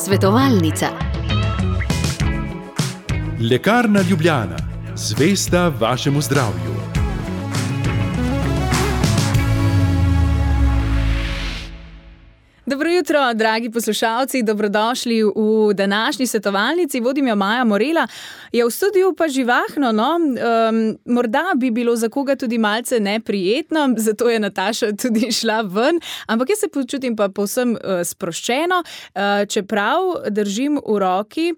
Svetovalnica. Lekarna Ljubljana, zvesta vašemu zdravju. Dobro jutro, dragi poslušalci, dobrodošli v današnji svetovalnici. Vodim jo Maja Morela, je v studiu pa živahno, no? Morda bi bilo za koga tudi malce neprijetno, zato je Nataša tudi šla ven, ampak jaz se počutim pa povsem sproščeno, čeprav držim v roki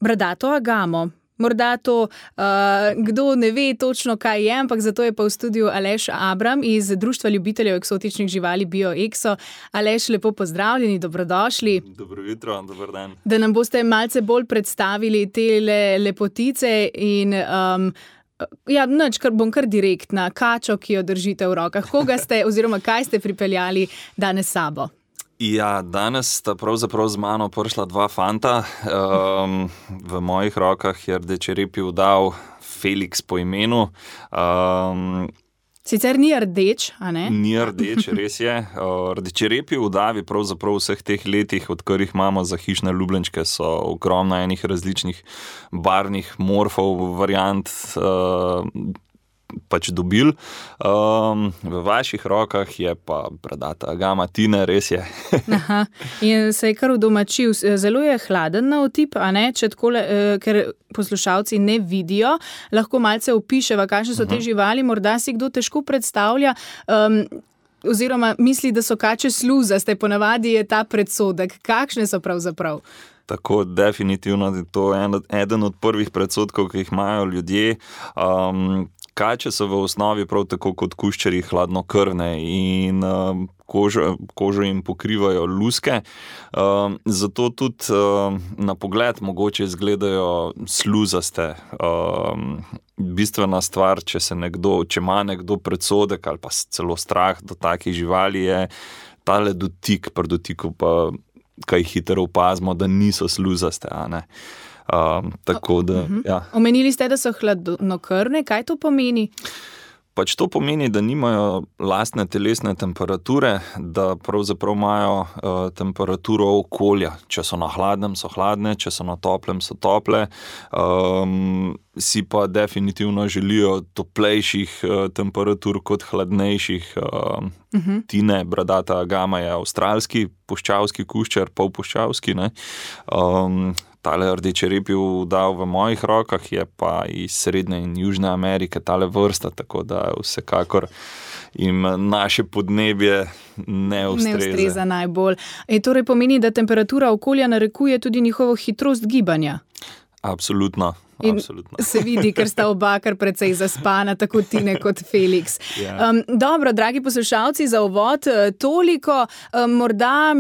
bradato agamo. Morda to, kdo ne ve točno, kaj je, ampak zato je pa v studiu Aleš Abram iz Društva ljubiteljev eksotičnih živali BioExo. Aleš, lepo pozdravljeni, dobrodošli. Dobro jutro, dober dan. Da nam boste malce bolj predstavili te lepotice in bom kar direktna, kačo, ki jo držite v rokah. Koga ste oziroma kaj ste pripeljali danes s sabo? Ja, danes sta pravzaprav z mano prišla dva fanta. V mojih rokah je rdečerepi udav Felix po imenu. Sicer ni rdeč, a ne? Ni rdeč, res je. Rdečerepi udavi pravzaprav vseh teh letih, odkar jih imamo za hišne ljubljenčke, so ogromno enih različnih barvnih morfov, variant pač dobil. V vaših rokah je pa bradata agama Tine, res je. Aha, in se je kar udomačil. Zelo je hladen na otip, a ne? Če takole, ker poslušalci ne vidijo, lahko malce opiševa, kakšne so te živali, morda si kdo težko predstavlja, oziroma misli, da so kače sluzaste, ponavadi je ta predsodek. Kakšne so pravzaprav? Tako, definitivno je to eden od prvih predsodkov, ki jih imajo ljudje. Kače so v osnovi prav tako kot kuščarji hladnokrvne in kožo jim pokrivajo luske, zato tudi na pogled mogoče izgledajo sluzaste. Bistvena stvar, če ima nekdo predsodek ali pa celo strah do takih živali, je tale dotik, pri dotiku pa kaj hitro opazimo, da niso sluzaste, a ne. Tako da, ja. Omenili ste, da so hladnokrvne, kaj to pomeni? Pač to pomeni, da nimajo lastne telesne temperature, da pravzaprav imajo temperaturo okolja. Če so na hladnem, so hladne, če so na toplem, so tople. Si pa definitivno želijo toplejših temperatur kot hladnejših. Tine, bradata agama, je avstralski puščavski kuščar, polpuščavski, ne. Tale rdečerepi udav v mojih rokah je pa iz Srednje in Južne Amerike tale vrsta, tako da vsekakor jim naše podnebje ne ustreza. Ne ustreza najbolj. Torej pomeni, da temperatura okolja narekuje tudi njihovo hitrost gibanja? Absolutno. In se vidi, ker sta oba kar precej zaspana, tako Tine kot Felix. Dobro, dragi poslušalci, za uvod toliko. Morda,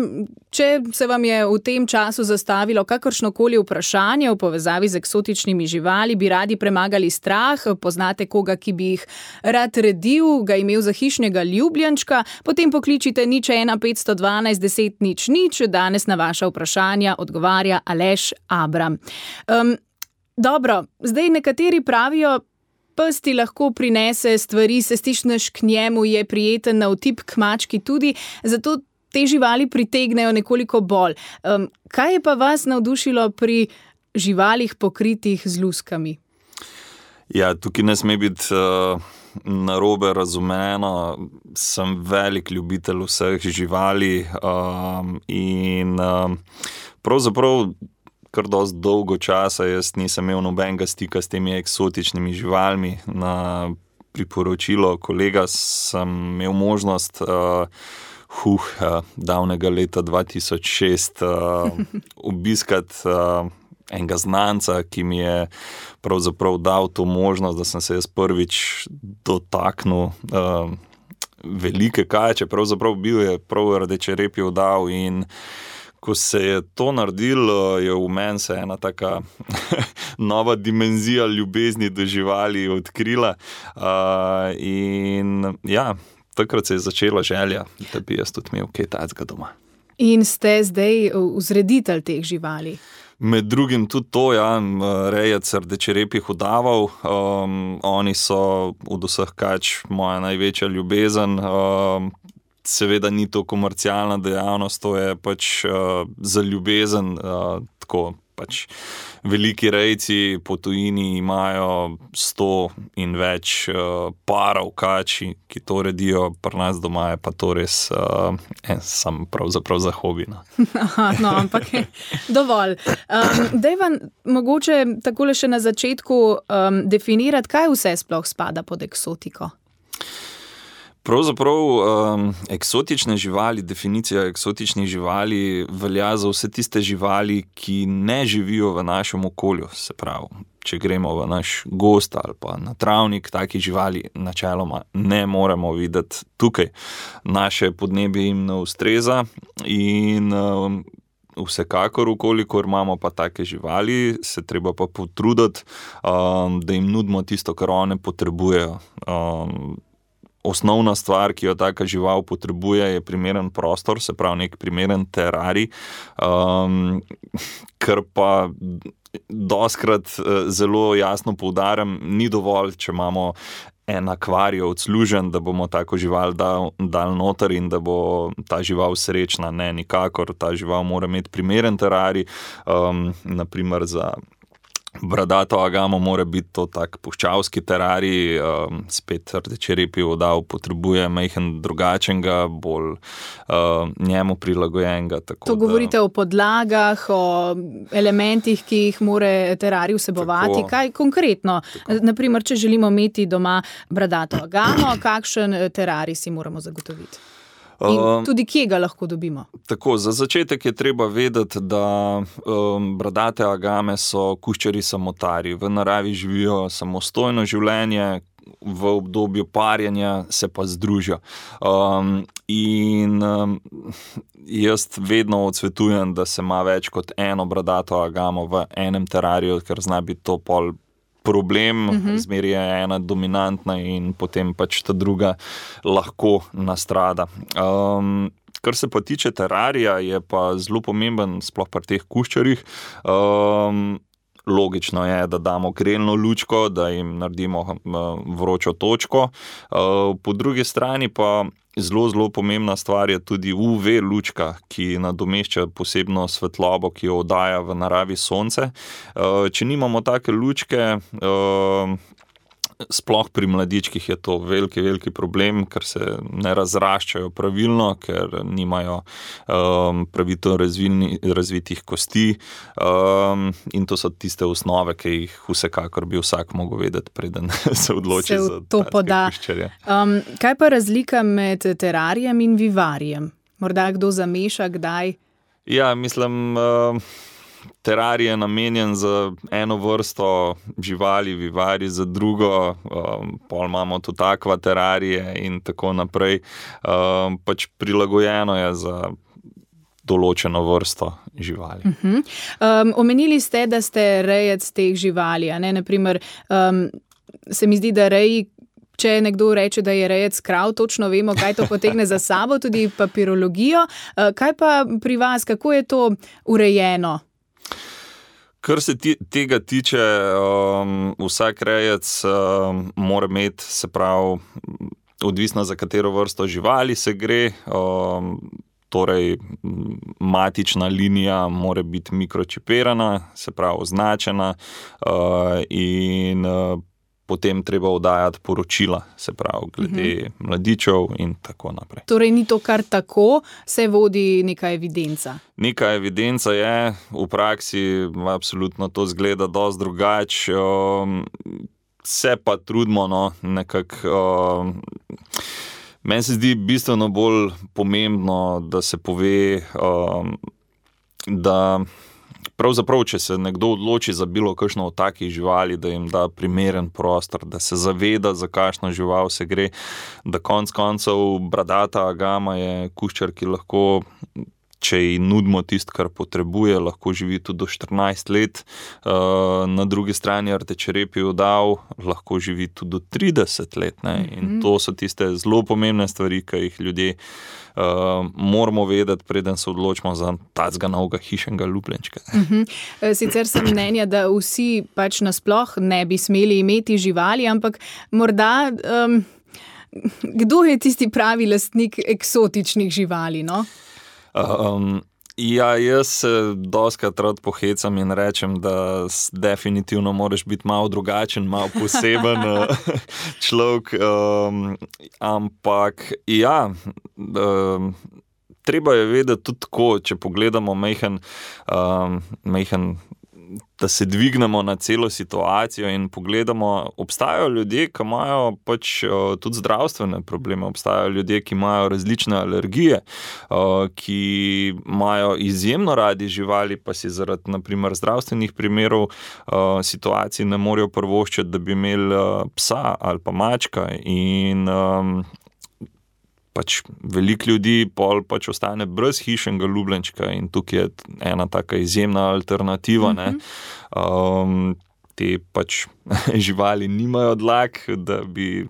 če se vam je v tem času zastavilo kakršnokoli vprašanje v povezavi z eksotičnimi živali, bi radi premagali strah, poznate koga, ki bi jih rad redil, ga imel za hišnega ljubljenčka, potem pokličite 01 512 10 00. Danes na vaša vprašanja odgovarja Aleš Abram. Dobro, zdaj nekateri pravijo, pes ti lahko prinese stvari, se stišneš k njemu, je prijeten na otip, k mački tudi, zato te živali pritegnejo nekoliko bolj. Kaj je pa vas navdušilo pri živalih pokritih z luskami? Ja, tukaj ne sme biti narobe razumeno. Sem velik ljubitelj vseh živali in pravzaprav kar dosti dolgo časa jaz nisem imel nobenega stika s temi eksotičnimi živalmi. Na priporočilo kolega sem imel možnost davnega leta 2006 obiskati enega znanca, ki mi je pravzaprav dal to možnost, da sem se jaz prvič dotaknil velike kače. Pravzaprav bil je prav rdečerepi udav in ko se je to naredilo, je v meni se ena taka nova dimenzija ljubezni do živali odkrila. In ja, takrat se je začela želja, da bi jaz tudi imel kaj takega doma. In ste zdaj vzreditelj teh živali? Med drugim tudi to, ja, rejec rdečerepih udavov. Oni so od vseh kač moja največja ljubezen. seveda ni to komercialna dejavnost, to je pač za ljubezen, tako pač veliki rejci po tujini imajo 100 in več parov kači, ki to redijo, pri nas doma je pa to res sam pravzaprav za hobi. Aha, no, ampak je dovolj. Daj vam mogoče takole še na začetku definirati, kaj vse sploh spada pod eksotiko? Pravzaprav eksotične živali, definicija eksotičnih živali velja za vse tiste živali, ki ne živijo v našem okolju. Se pravi, če gremo v naš gozd ali pa na travnik, takih živali načeloma ne moremo videti tukaj. Naše podnebje jim ne ustreza in vsekakor, ukolikor imamo pa take živali, se treba pa potruditi, da jim nudimo tisto, kar one potrebujejo. Osnovna stvar, ki jo taka žival potrebuje, je primeren prostor, se pravi nek primeren terarij, kar pa dostikrat zelo jasno poudarjam, ni dovolj, če imamo en akvarij odslužen, da bomo tako žival dali noter in da bo ta žival srečna. Ne, nikakor, ta žival mora imeti primeren terarij, naprimer za bradato agamo mora biti to tak puščavski terarij, spet rdečerepi odav potrebuje majhen drugačenega, bolj njemu prilagojenega. To govorite o podlagah, o elementih, ki jih mora terarij vsebovati. Tako, kaj konkretno? Tako. Naprimer, če želimo imeti doma bradato agamo, kakšen terarij si moramo zagotoviti? In tudi kje ga lahko dobimo? Tako, za začetek je treba vedeti, da bradate agame so kuščarji samotarji. V naravi živijo samostojno življenje, v obdobju parjenja se pa združijo. Jaz vedno odsvetujem, da se ima več kot eno bradato agamo v enem terariju, ker zna biti to pol problem, zmeri je ena dominantna in potem pač ta druga lahko nastrada. Kar se pa tiče terarija, je pa zelo pomemben, sploh pri teh kuščarjih. Logično je, da damo grelno lučko, da jim naredimo vročo točko. Po drugi strani pa zelo pomembna stvar je tudi UV lučka, ki nadomešča posebno svetlobo, ki jo oddaja v naravi sonce. Če nimamo take lučke, sploh pri mladičkih je to veliki problem, ker se ne razraščajo pravilno, ker nimajo pravilno razvitih kosti, in to so tiste osnove, ki jih vsekakor bi vsak mogel vedeti, preden se odloči za to kuščarje. Kaj pa razlika med terarijem in vivarijem? Morda kdo zameša kdaj? Ja, mislim, terarij je namenjen za eno vrsto živali, vivari za drugo, pol imamo tudi akva terarije in tako naprej. Pač prilagojeno je za določeno vrsto živali. Omenili ste, da ste rejec teh živali, a ne? Naprimer, se mi zdi, da reji, če nekdo reče, da je rejec krav, točno vemo, kaj to potegne za sabo, tudi papirologijo. Kaj pa pri vas, kako je to urejeno? Kar se tega tiče, vsak rejec mora imeti, se pravi, odvisno za katero vrsto živali se gre, torej matična linija mora biti mikročipirana, se pravi označena, in potem treba oddajati poročila, se pravi, glede mladičev in tako naprej. Torej ni to kar tako, se vodi neka evidenca? Neka evidenca je, v praksi absolutno to zgleda dosti drugače, se pa trudimo, nekako. Meni se zdi bistveno bolj pomembno, da se pove, da pravzaprav, če se nekdo odloči za bilo kakšno od takih živali, da jim da primeren prostor, da se zaveda, za kakšno žival se gre, da konec koncev bradata agama je kuščar, ki lahko, če ji nudimo tisto, kar potrebuje, lahko živi tudi do 14 let. Na drugi strani rdečerepi odav lahko živi tudi do 30 let. In to so tiste zelo pomembne stvari, ki jih ljudje moramo vedeti, preden se odločimo za tacga novega hišnega ljubljenčka. Sicer sem mnenja, da vsi pač nasploh ne bi smeli imeti živali, ampak morda kdo je tisti pravi lastnik eksotičnih živali, no? Ja, jaz se dostikrat rad pohecam in rečem, da definitivno moraš biti malo drugačen, malo poseben človek, ampak ja, treba je vedeti tudi tako, če pogledamo majhen, da se dvignemo na celo situacijo in pogledamo, obstajajo ljudje, ki imajo pač tudi zdravstvene probleme, obstajajo ljudje, ki imajo različne alergije, ki imajo izjemno radi živali, pa si zaradi, na primer, zdravstvenih primerov situacij ne morejo privoščiti, da bi imeli psa ali pa mačka in pač veliko ljudi pol pač ostane brez hišnega ljubljenčka in tukaj je ena taka izjemna alternativa, ne. Te pač živali nimajo dlak, da bi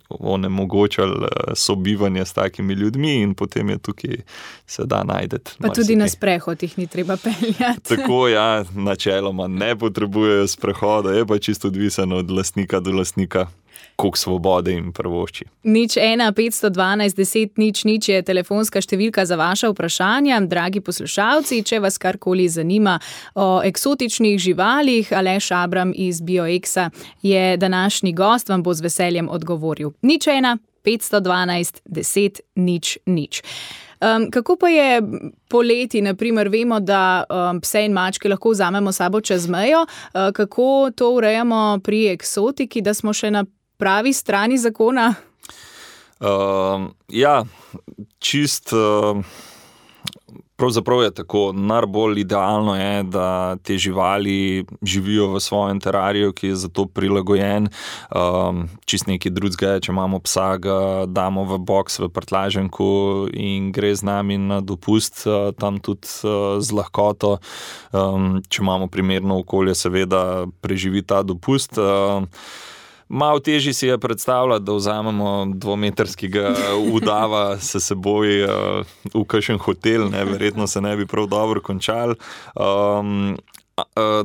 onemogočali sobivanje s takimi ljudmi in potem je tukaj se da najdeti. Pa tudi na sprehod jih ni treba peljati. Tako, ja, načeloma ne potrebujejo sprehoda, je pa čisto odvisen od lastnika do lastnika, koliko svobode jim privošči. 01 512 10 00 je telefonska številka za vaša vprašanja. Dragi poslušalci, če vas karkoli zanima o eksotičnih živalih, Aleš Abram iz BioExa je današnji gost, vam bo z veseljem odgovoril. 01 512 10 00. Kako pa je poleti, naprimer, vemo, da pse in mačke lahko vzamemo sabo čez mejo, kako to urejamo pri eksotiki, da smo še na pravi strani zakona? Ja, pravzaprav je tako, najbolj idealno je, da te živali živijo v svojem terariju, ki je za to prilagojen. Čist nekaj drugega je, če imamo psa, ga damo v boks, v prtljažniku in gre z nami na dopust, tam tudi z lahkoto. Če imamo primerno okolje, seveda preživi ta dopust. Malo težje si je predstavljati, da vzamemo 2-metrskega udava s seboj v kakšen hotel, ne, verjetno se ne bi prav dobro končali.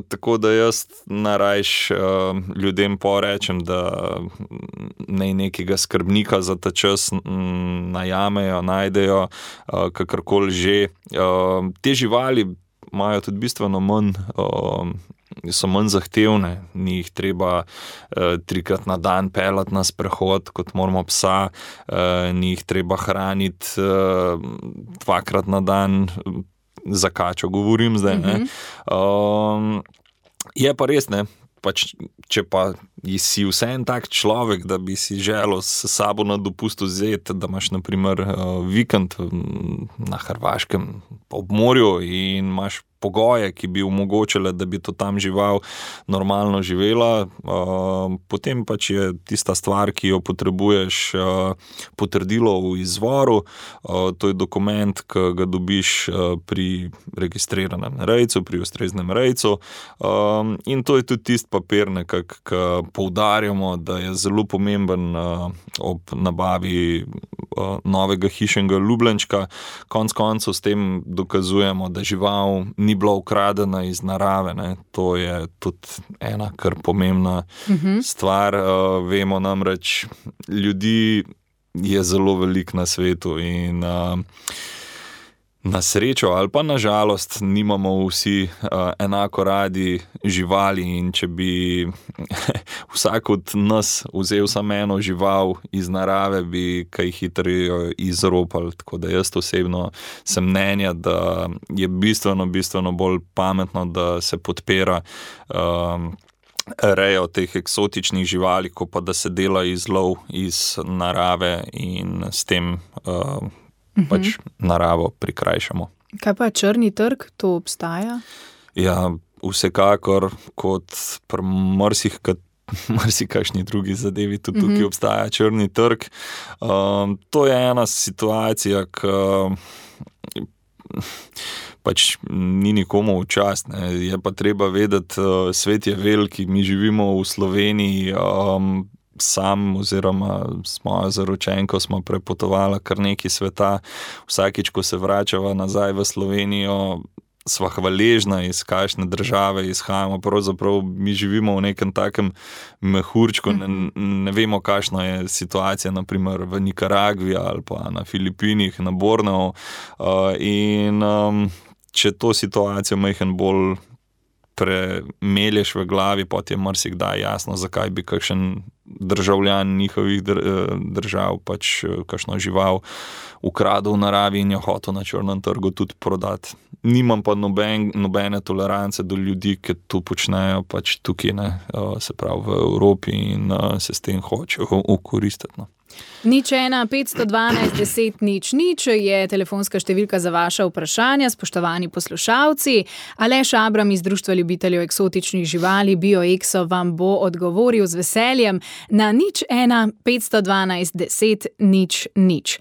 Tako da jaz najrajš ljudem porečem, da naj nekega skrbnika za ta čas najamejo, najdejo, kakorkoli že. Te živali imajo tudi bistveno manj, so manj zahtevne, ni jih treba 3-krat na dan peljati na sprehod, kot moramo psa, ni jih treba hraniti 2-krat na dan, za kačo govorim zdaj, ne. Je pa res, ne, pač, če pa si vseeno tak človek, da bi si želel s sabo na dopust vzeti, da imaš na primer vikend na Hrvaškem ob morju in imaš pogoje, ki bi omogočile, da bi to tam žival normalno živela, potem pač je tista stvar, ki jo potrebuješ, potrdilo v izvoru, to je dokument, ki ga dobiš pri registriranem rejcu, pri ustreznem rejcu, in to je tudi tisti papir, nekako, ki poudarjamo, da je zelo pomemben ob nabavi novega hišnega ljubljenčka. Konec koncev s tem dokazujemo, da žival ni bila ukradena iz narave, ne. To je tudi ena kar pomembna stvar. Vemo namreč, ljudi je zelo veliko na svetu in na srečo ali pa na žalost nimamo vsi enako radi živali in če bi vsak od nas vzel samo eno žival iz narave, bi kaj hitreje izropali. Tako da jaz osebno sem mnenja, da je bistveno bolj pametno, da se podpira rejo teh eksotičnih živali, ko pa da se dela izlov iz narave in s tem pač naravo prikrajšamo. Kaj pa črni trg, to obstaja? Ja, vsekakor, kot pri marsikakšni drugi zadevi, tudi tukaj obstaja črni trg. To je ena situacija, ki pač ni nikomu v čast, ne. Je pa treba vedeti, svet je veliki, mi živimo v Sloveniji, sam oziroma s mojo zaročenko smo prepotovali kar nekaj sveta. Vsakič, ko se vračava nazaj v Slovenijo, sva hvaležna, iz kakšne države izhajamo. Pravzaprav mi živimo v nekem takem mehurčku, ne vemo, kakšna je situacija naprimer v Nikaragvi ali pa na Filipinih, na Borneu. In če to situacijo majhen bolj premelješ v glavi, pot je marsikdaj jasno, zakaj bi kakšen državljan njihovih držav pač kakšno žival ukradel v naravi in jo hotel na črnem trgu tudi prodati. Nimam pa nobene tolerance do ljudi, ki to počnejo pač tukaj, se pravi v Evropi in se s tem hočejo ukoristiti. 01 512 10 00 je telefonska številka za vaša vprašanja, spoštovani poslušalci. Aleš Abram iz Društva ljubiteljev eksotičnih živali BioExo vam bo odgovoril z veseljem na 01 512 10 00.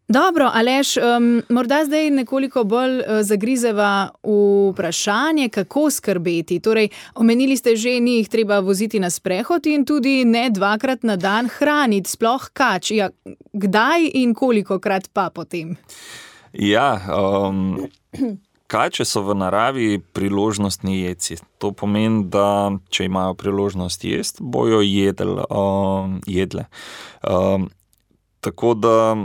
Dobro, Aleš, morda zdaj nekoliko bolj zagrizeva vprašanje, kako skrbeti. Torej, omenili ste že, ni jih treba voziti na sprehod in tudi ne 2-krat na dan hraniti, sploh kač. Ja, kdaj in kolikokrat pa potem? Ja, kače so v naravi priložnostni jedci. To pomeni, da če imajo priložnost jesti, bojo jedle. Tako da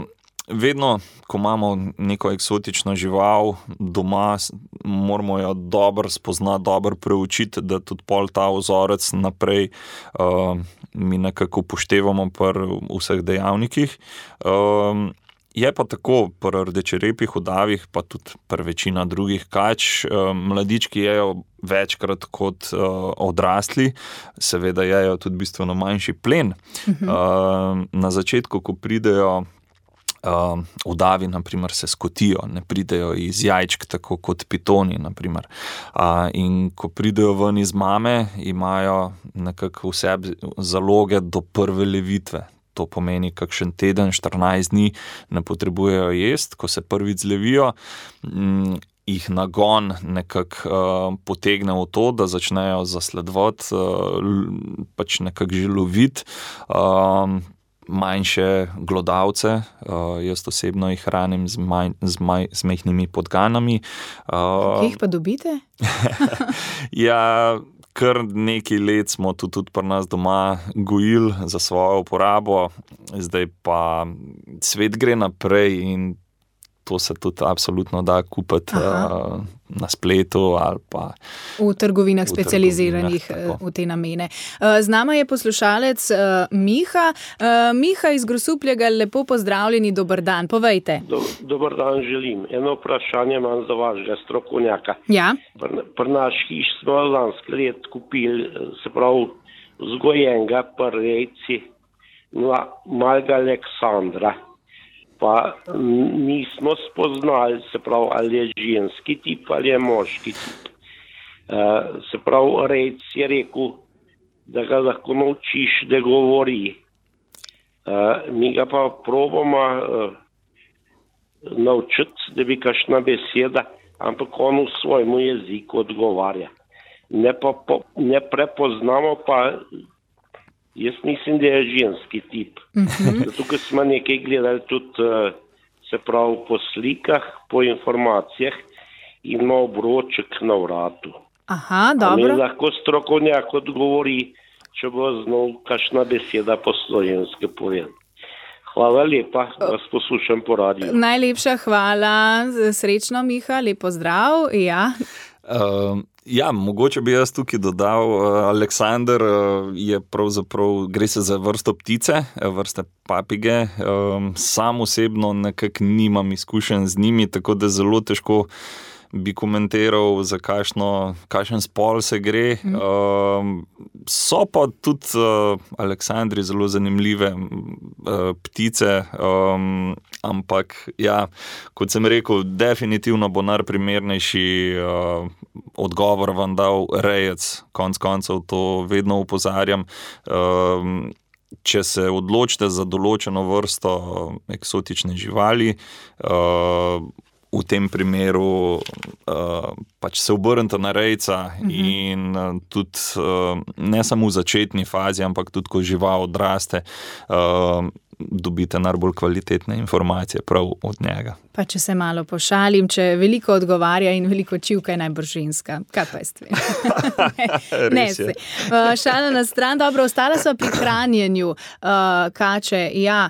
vedno, ko imamo neko eksotično žival doma, moramo jo dobro spoznati, dobro preučiti, da tudi pol ta vzorec naprej mi nekako upoštevamo pri vseh dejavnikih. Je pa tako pri rdečerepih udavih, pa tudi pri večina drugih kač, mladički jejo večkrat kot odrasli, seveda jejo tudi bistveno manjši plen. Na začetku, ko pridejo udavi, naprimer, se skotijo, ne pridejo iz jajčk, tako kot pitoni, naprimer. In ko pridejo ven iz mame, imajo nekako vse zaloge do prve levitve. To pomeni, kakšen teden, 14 dni ne potrebujejo jesti, ko se prvič zlevijo, jih nagon nekako potegne v to, da začnejo zasledovati, pač nekako že loviti manjše glodavce. Jaz osebno jih hranim z majhnimi podganami. Kje jih pa dobite? Ja, kar nekaj let smo tudi pri nas doma gojili za svojo uporabo, zdaj pa svet gre naprej in to se tudi absolutno da kupiti na spletu ali pa v trgovinah specializiranih v te namene. Z nama je poslušalec Miha. Miha iz Grosuplja, lepo pozdravljeni, dober dan, povejte. Dober dan želim. Eno vprašanje imam za vašega strokovnjaka. Ja. Pri naš hiš smo lansko let kupili, se pravi, vzgojenega pri rejci malega Aleksandra. Pa nismo spoznali, se pravi, ali je ženski tip ali je moški tip. Se pravi, rejc je rekel, da ga lahko naučiš, da govori. Mi ga pa probamo naučiti, da bi kakšna beseda, ampak on v svojemu jeziku odgovarja. Ne prepoznamo pa. Jaz mislim, da je ženski tip. Zato, ker smo nekaj gledali tudi, se pravi, po slikah, po informacijah in ima obroček na vratu. Aha, dobro. Mi lahko strokovnjak odgovori, če bo znal kakšna beseda po slovenski povedati. Hvala lepa, vas poslušam po radiju. Najlepša hvala, srečno Miha, lep pozdrav. Ja. Ja, mogoče bi jaz tukaj dodal, Aleksander je pravzaprav, gre se za vrsto ptice, vrste papige. Sam osebno nekako nimam izkušenj z njimi, tako da zelo težko bi komentiral, za kakšen spol se gre. So pa tudi Aleksandri zelo zanimive ptice, ampak ja, kot sem rekel, definitivno bo najprimernejši odgovor vam dal rejec. Konec koncev to vedno opozarjam. Če se odločite za določeno vrsto eksotične živali, v tem primeru pač se obrnete na rejca in tudi ne samo v začetni fazi, ampak tudi ko žival odraste, dobite najbolj kvalitetne informacije prav od njega. Pa če se malo pošalim, če veliko odgovarja in veliko čivka, je najbolj ženska. Kaj pa jaz tvem? Ne se. Šala na stran, dobro, ostala sva pri hranjenju kače. Ja,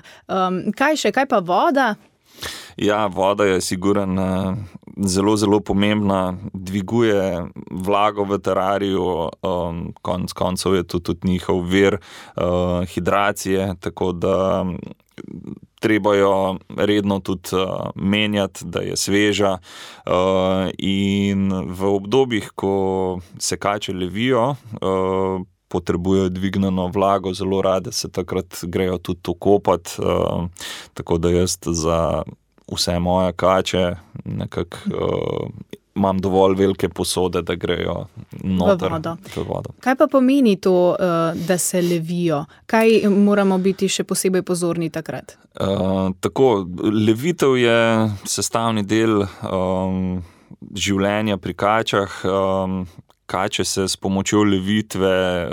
kaj pa voda? Ja, voda je sigurno zelo, zelo pomembna, dviguje vlago v terariju, konec koncev je tudi njihov vir hidracije, tako da treba jo redno tudi menjati, da je sveža, in v obdobjih, ko se kače levijo, potrebujejo dvignjeno vlago, zelo rade se takrat grejo tudi okopati, tako da jaz za vse moje kače nekako imam dovolj velike posode, da grejo noter v vodo. Kaj pa pomeni to, da se levijo? Kaj moramo biti še posebej pozorni takrat? Tako, levitev je sestavni del življenja pri kačah. Kače se s pomočjo levitve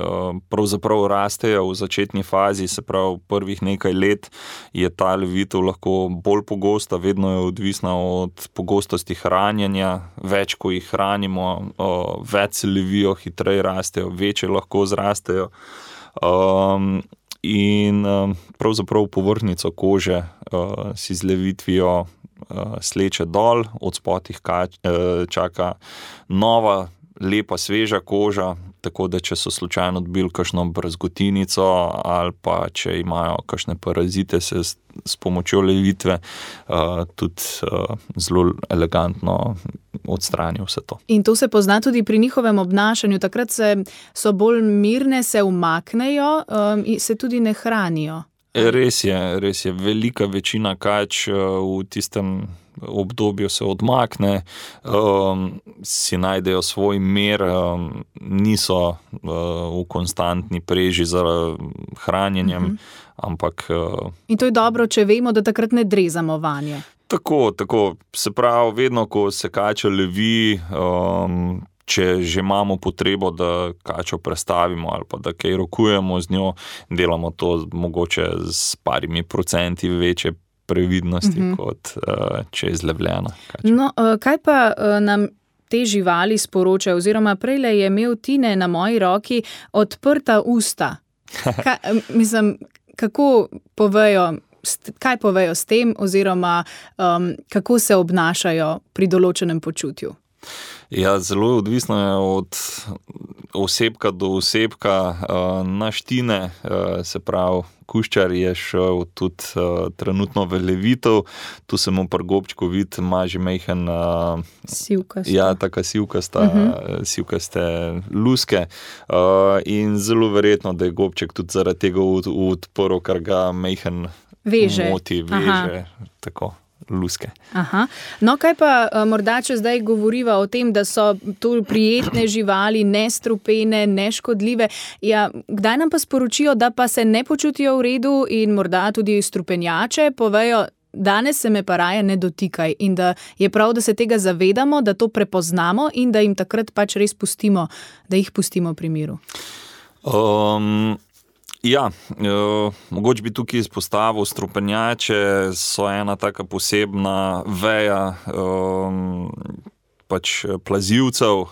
pravzaprav rastejo v začetni fazi, se pravi prvih nekaj let je ta levitev lahko bolj pogosta, vedno je odvisna od pogostosti hranjenja, več ko jih hranimo, več se levijo, hitreje rastejo, večje lahko zrastejo. In pravzaprav povrhnjico kože si z levitvijo sleče dol, od spodih čaka nova lepa, sveža koža, tako da če so slučajno dobili kakšno brazgotinico ali pa če imajo kakšne parazite, se s pomočjo levitve tudi zelo elegantno odstrani vse to. In to se pozna tudi pri njihovem obnašanju, takrat so bolj mirne, se umaknejo in se tudi ne hranijo. Res je. Velika večina kač v tistem obdobju se odmakne, si najdejo svoj mir, niso v konstantni preži za hranjenjem, ampak... In to je dobro, če vemo, da takrat ne drezamo vanje. Tako. Se pravi, vedno, ko se kača levi, če že imamo potrebo, da kačo prestavimo ali pa da kaj rokujemo z njo, delamo to mogoče s parimi procenti večje previdnosti, kot če je zlevljena kača. No, kaj pa nam te živali sporočajo, oziroma prejle je imel Tine na moji roki odprta usta. Kako povejo, kaj povejo s tem, oziroma kako se obnašajo pri določenem počutju? Ja, zelo odvisno je od osebka do osebka. Naš Tine, se pravi, kuščar je šel tudi trenutno v levitev. Tu se mu pri gobčku vidi, ima že majhen... Sivkasta. Ja, taka sivkaste luske. In zelo verjetno, da je gobček tudi zaradi tega odprl, ker ga majhen moti, veže. Tako. Luske. Aha. No, kaj pa morda, če zdaj govoriva o tem, da so to prijetne živali, nestrupene, neškodljive, ja, kdaj nam pa sporočijo, da pa se ne počutijo v redu in morda tudi strupenjače povejo, danes se me pa raje ne dotikaj, in da je prav, da se tega zavedamo, da to prepoznamo in da jim takrat pač res pustimo, da jih pustimo pri miru. Ja, mogoče bi tukaj izpostavil, strupenjače so ena taka posebna veja pač plazivcev.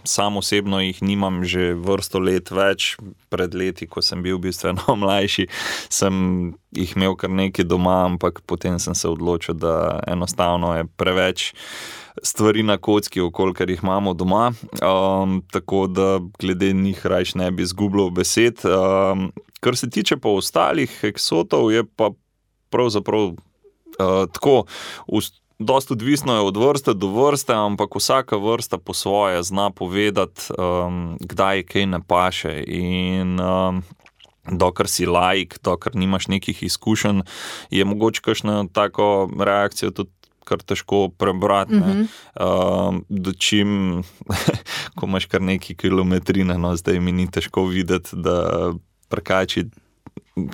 Sam osebno jih nimam že vrsto let več. Pred leti, ko sem bil bistveno mlajši, sem jih imel kar nekaj doma, ampak potem sem se odločil, da enostavno je preveč stvari na kocki, okolikor jih imamo doma, tako da glede njih rajš ne bi izgubljal besed. Kar se tiče pa ostalih eksotov, je pa pravzaprav tako, dosti odvisno je od vrste do vrste, ampak vsaka vrsta po svoje zna povedati, kdaj kaj ne paše, in dokler si laik, dokler nimaš nekih izkušenj, je mogoče kakšno tako reakcijo tudi kar težko prebrati. Dočim, ko imaš kar neki kilometrine, no, zdaj mi ni težko videti, da prekači,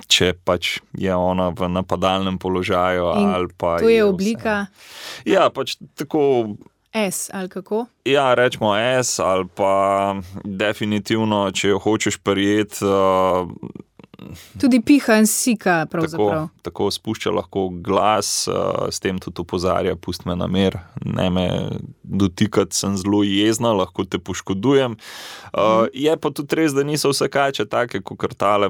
če pač je ona v napadalnem položaju. In ali pa to je oblika? Ja, pač tako... S, ali kako? Ja, rečemo S, ali pa definitivno, če jo hočeš prijeti, Tudi piha in sika pravzaprav. Tako spušča lahko glas, s tem tudi opozarja, pusti me na mir, ne me dotikati, sem zelo jezna, lahko te poškodujem. Je pa tudi res, da niso vse kače take, kot tale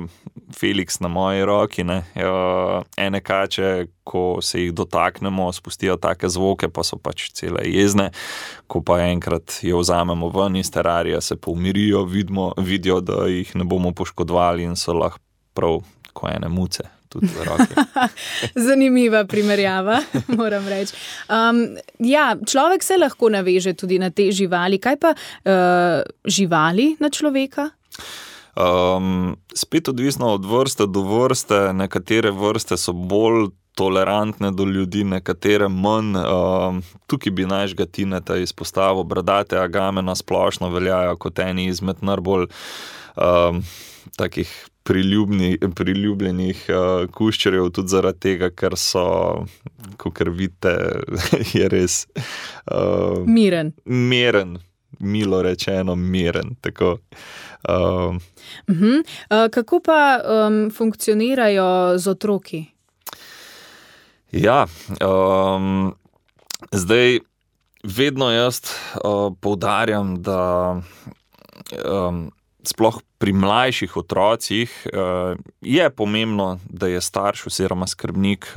Felix na moji roki, ne. Ene kače, ko se jih dotaknemo, spustijo take zvoke, pa so pač cele jezne, ko pa enkrat jo vzamemo ven iz terarija, se pa umirijo, vidijo, da jih ne bomo poškodovali in so lahko prav ko ene muce tudi v roki. Zanimiva primerjava, moram reči. Človek se lahko naveže tudi na te živali. Kaj pa živali na človeka? Spet odvisno od vrste do vrste. Nekatere vrste so bolj tolerantne do ljudi, nekatere manj. Tukaj bi našega Tineta izpostavil. Bradate agame na splošno veljajo kot eni izmed najbolj takih priljubljenih kuščarjev, tudi zaradi tega, ker so, kakor vidite, je res miren, milo rečeno miren. Tako. Kako pa funkcionirajo z otroki? Ja, zdaj vedno jaz poudarjam, da sploh pri mlajših otrocih je pomembno, da je starš oziroma skrbnik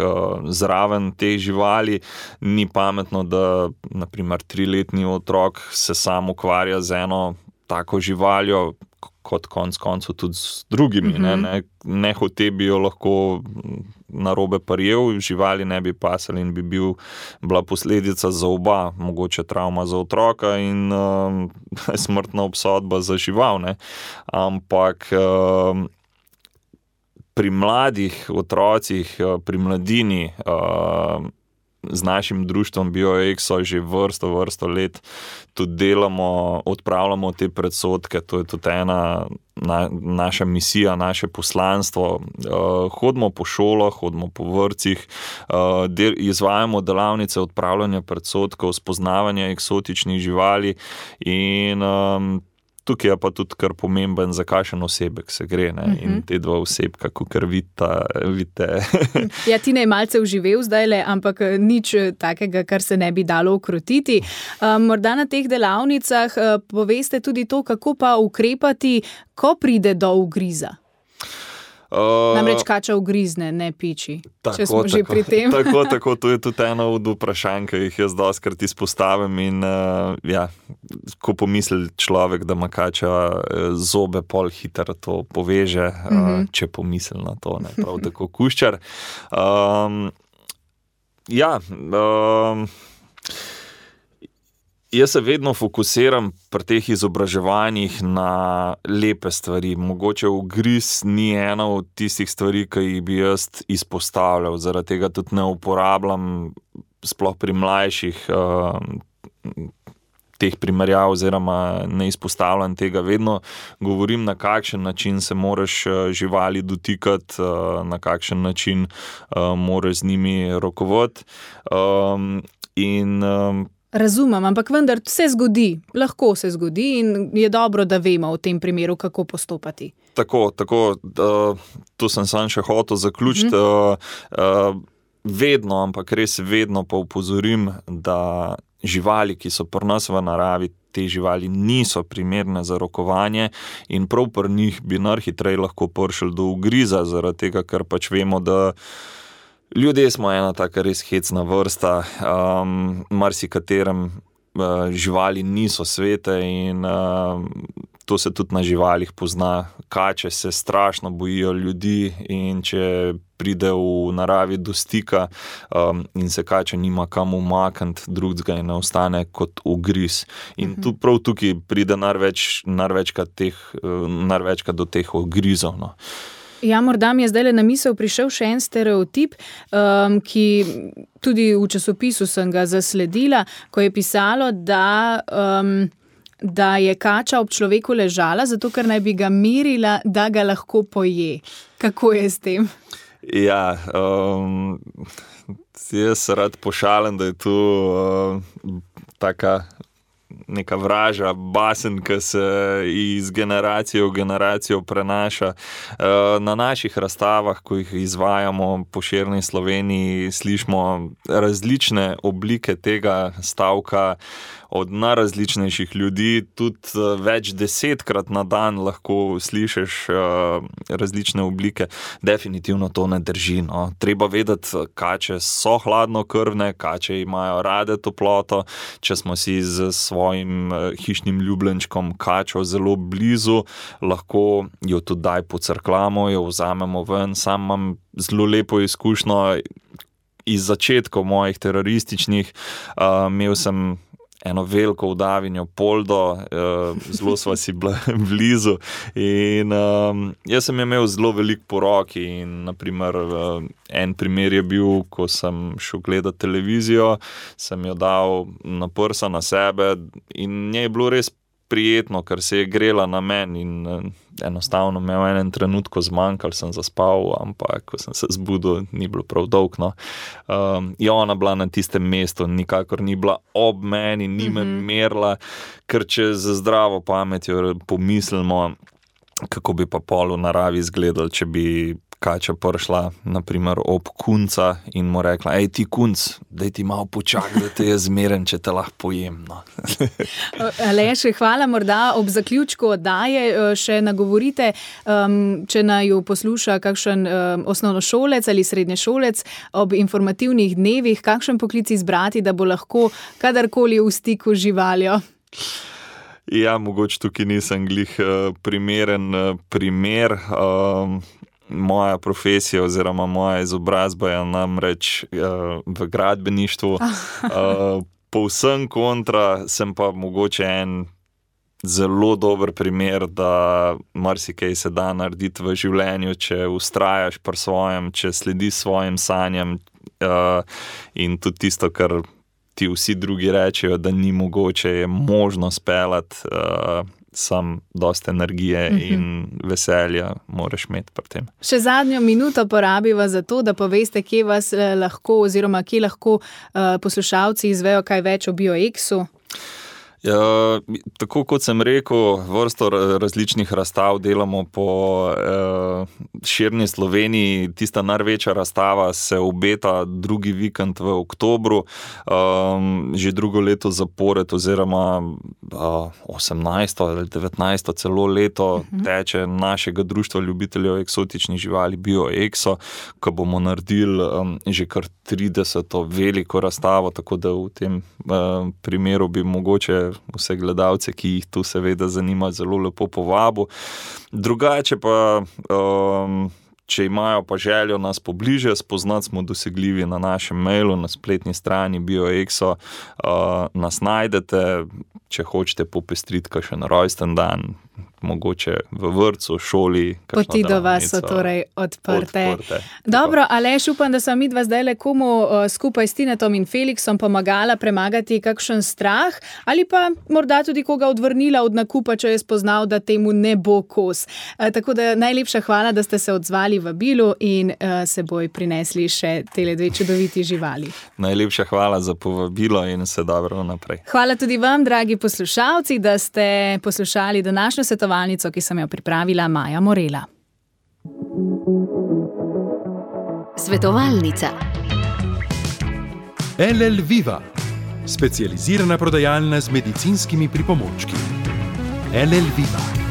zraven te živali. Ni pametno, da na primer 3-letni otrok se sam ukvarja z eno tako živaljo, kot konec koncev tudi z drugimi. Ne hote bi jo lahko narobe prijel, živali ne bi pasali in bi bila posledica za oba, mogoče travma za otroka in smrtna obsodba za žival. Ne? Ampak pri mladih otrocih, pri mladini, z našim društvom BioExo že vrsto let tudi delamo, odpravljamo te predsodke, to je tudi ena naša misija, naše poslanstvo. Hodimo po šolah, hodimo po vrtcih, izvajamo delavnice odpravljanja predsodkov, spoznavanja eksotičnih živali in tukaj je pa tudi kar pomemben, za kakšen osebek se gre. In te dva osebka, kakor vidite. Ja, Tina je malce vživel zdajle, ampak nič takega, kar se ne bi dalo ukrotiti. Morda na teh delavnicah poveste tudi to, kako pa ukrepati, ko pride do ugriza. Namreč kača ugrizne, ne piči, če smo že pri tem. Tako, to je tudi eno od vprašanj, ki jih jaz dostikrat izpostavim in ko pomisli človek, da ima kača zobe, pol hitro to poveže, če pomisli na to, ne, prav tako kuščar. Jaz se vedno fokusiram pri teh izobraževanjih na lepe stvari. Mogoče ugriz ni ena od tistih stvari, ki jih bi jaz izpostavljal. Zaradi tega tudi ne uporabljam, sploh pri mlajših, teh primerjav oziroma ne izpostavljam tega. Vedno govorim, na kakšen način se moraš živali dotikati, na kakšen način moraš z njimi rokovati. Razumem, ampak vendar se zgodi, lahko se zgodi in je dobro, da vemo v tem primeru, kako postopati. Tako, to sem sam še hotel zaključiti. Vedno, ampak res vedno pa opozorim, da živali, ki so pri nas v naravi, te živali niso primerne za rokovanje in prav pri njih bi najhitreje lahko prišli do ugriza, zaradi tega, ker pač vemo, da ljudje smo ena taka res hecna vrsta, marsikaterem živali niso svete in to se tudi na živalih pozna. Kače se strašno bojijo ljudi in če pride v naravi do stika in se kača nima kam umakniti, drugega in ne ostane kot ugriz. In tu prav tukaj pride največkrat do teh ugrizov. No. Ja, morda mi je zdajle na misel prišel še en stereotip, ki tudi v časopisu sem ga zasledila, ko je pisalo, da je kača ob človeku ležala, zato ker naj bi ga mirila, da ga lahko poje. Kako je s tem? Ja, jaz se rad pošalim, da je tu taka neka vraža basen, ki se iz generacije v generacijo prenaša. Na naših razstavah, ko jih izvajamo po širni Sloveniji, slišimo različne oblike tega stavka od najrazličnejših ljudi, tudi več 10krat na dan lahko slišiš različne oblike. Definitivno to ne drži. No. Treba vedeti, kače so hladnokrvne, kače imajo rade toploto. Če smo si z svojim hišnim ljubljenčkom kačo zelo blizu, lahko jo tudi daj pocrklamo, jo vzamemo ven. Sam imam zelo lepo izkušnjo iz začetkov mojih terorističnih. Imel sem eno veliko udavinjo poldo, zelo sva si blizu in jaz sem imel zelo veliko po roki in naprimer en primer je bil, ko sem šel gledati televizijo, sem jo dal na prsa na sebe in njej je bilo res prijetno, ker se je grela na meni in enostavno me v enem trenutku zmanjkalo, sem zaspal, ampak ko sem se zbudil, ni bilo prav dolgo. Je ona bila na tistem mestu, nikakor ni bila ob meni, ni me merila, ker če z zdravo pametjo pomislimo, kako bi pa pol v naravi izgledal, če bi kača prišla, naprimer, ob kunca in mu rekla, ej ti kunc, daj ti malo počakaj, da te je zmeren, če te lahko pojem. No. Aleš, hvala, morda ob zaključku oddaje še nagovorite, če naju posluša kakšen osnovnošolec ali srednješolec ob informativnih dnevih, kakšen poklic izbrati, da bo lahko kadarkoli v stiku z živaljo. Ja, mogoče tukaj nisem glih primeren primer. Moja profesija oziroma moja izobrazba je namreč v gradbeništvu. Povsem kontra, sem pa mogoče en zelo dober primer, da marsikaj se da narediti v življenju, če vztrajaš pri svojem, če slediš svojim sanjam in tudi tisto, kar ti vsi drugi rečejo, da ni mogoče, je možno speljati. Sam dosti energije in veselja moraš imeti pri tem. Še zadnjo minuto porabiva za to, da poveste, kje vas lahko oziroma kje lahko poslušalci izvejo kaj več o BioExu. Ja, tako kot sem rekel, vrsto različnih razstav delamo po širni Sloveniji. Tista največja razstava se obeta drugi vikend v oktobru, že drugo leto zapored oziroma 18. ali 19. celo leto teče našega društva ljubiteljev eksotičnih živali BioExo, ko bomo naredili že kar 30. veliko razstavo, tako da v tem primeru bi mogoče vse gledalce, ki jih tu seveda zanima, zelo lepo povabil. Drugače pa, če imajo pa željo nas pobliže spoznati, smo dosegljivi na našem mailu, na spletni strani BioExo. Nas najdete, če hočete popestriti kakšen rojsten dan, mogoče v vrtcu, šoli. Poti do vas so torej odprte. Dobro, Aleš, upam, da sem midva zdaj komu skupaj s Tinetom in Felixom pomagala premagati kakšen strah ali pa morda tudi koga odvrnila od nakupa, če je spoznal, da temu ne bo kos. Tako da najlepša hvala, da ste se odzvali v vabilu in seboj prinesli še tele dve čudoviti živali. Najlepša hvala za povabilo in vse dobro naprej. Hvala tudi vam, dragi poslušalci, da ste poslušali današnjo svetovalnico, ki sem jo pripravila Maja Morela. Svetovalnica. LL Viva, specializirana prodajalna z medicinskimi pripomočki. LL Viva.